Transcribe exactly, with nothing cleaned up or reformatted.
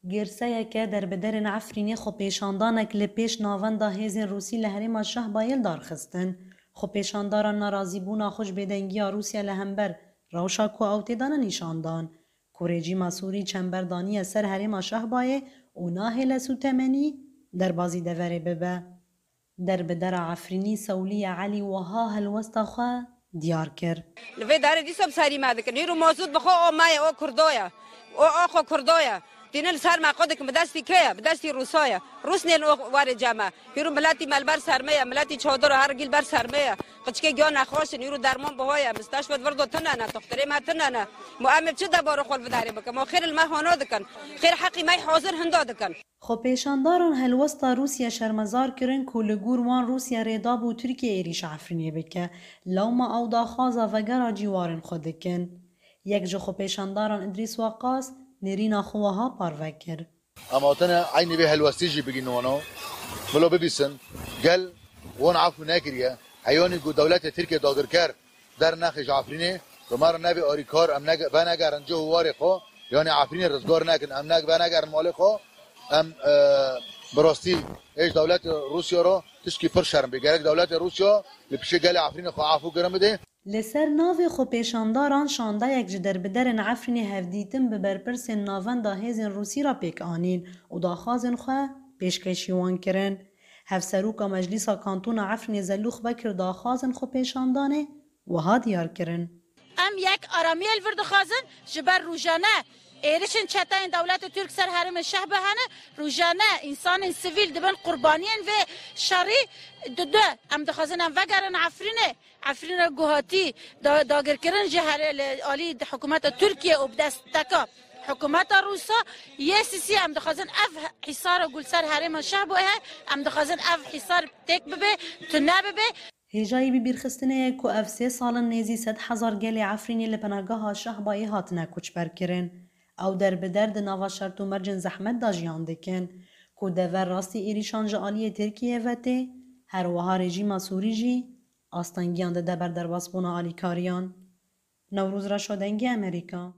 Girseyeke derbiderên Efrînê xwepêşandanek li pêş navenda hêzên Rûsî li herêma Şehbayê li dar xistin. Xwepêşandaran nerazîbûna xwe ji bêdengiya Rûsya li hember rewşa ku ew tê de ne nîşan dan, ku rejîma Sûrî çember daniye ser herêma Şehbayê û nahêle sûtemenî derbazî deverê bibe. Derbidera Efrînî Sewliye Elî wiha helwesta xwe diyar kir. Li vê darê dîsa bi serî me dikin. Hîro mazût bi xwe o me ye, o Kurdo ye. O axwe Kurdo ye. Tînin li ser me xwe dikin, bi destî kê ye? Bi destî Rûsa ye. Rûs nên o warê cem me. Hîro miletî me li ber ser me ye, miletî çadir û her gî li ber ser me ye. Qiçkê giya nexweş in, hîro derman biha ye. Misteşfet virdo tune ne, toxtirê me tune ne. Ma em ê çi debarê xwe li vê darê bikin? Ma xêr li me hana dikin. Xêr heqî me hazir hinda dikin. Xwepêşandaran helwesta Rûsya şermezar kirin ku li gor wan Rûsya rê dabû Tirkiye êrîşa Efrînê bike, lewma ew daxwaza vegera cîwarên xwe dikin. Yek ji xwepêşandaran Idrîs Waqas nêrîna xwe wiha parve kir. Em hatine eynî vê helwestî jî bigînin wana. Bila bibîsin, gel wan efû nekiriye. Heyanî ku dewletê Tirkiye dagirker dernexê ji Efrînê, bi me re nebe alîkar, em nege-, venegerin cih û warê xwe, yanî Efrînê rizgar nekin, em ne-, venegerin malê xwe, em, e, bi rastî ê ji dewleta Rûsya re tişkî pir şerm bê. Gerek dewleta Rûsya li piştê gelê Efrînê xwe efû kirin bidê. Li ser navê xwepêşandaran şandeyek ji derbiderên Efrînê hevdîtin bi berpirsên navenda hêzên Rûsî re pêk anîn û daxwazên xwe pêşkêşî wan kirin. Hevseroka Meclîsa Kantona Efrînê Zelûx Bekir daxwazên xwepêşandanê wiha diyar kirin. Em yek aramiyê li vir dixwazin, ji ber rojane êrişên çeteyên dewleta Tirk ser herêmên Şehba hene, rojane însanên sivîl dibin qurbaniyên vê şerî. Didu, em dixwazin em vegerin Efrînê. Efrîna ku hatî da-, dagirkirin ji here-, li alî hikûmeta Tirkiye û bi desteka hikûmeta Rûsa yê Sîsî, em dixwazin ev hîsara ku li ser herêma Şehbo heye, em dixwazin ev hîsar têk bibe, tune bibe. Hêjayî bibîrxistinê ye ku ev sê sal in nêzî sed hezar gelê Efrînê li penageha Şehbayê hatine koçberkirin. Ew derbider di nava şert û mercên zehmet de jiyan dikin, ku dever rastî êrîşan ji aliyê Tirkiyê ve tê, her wiha rejîma Sûrî jî astengiyan dide ber derbasbûna alîkariyan. Newroz Reşo, Dengê Amerîka.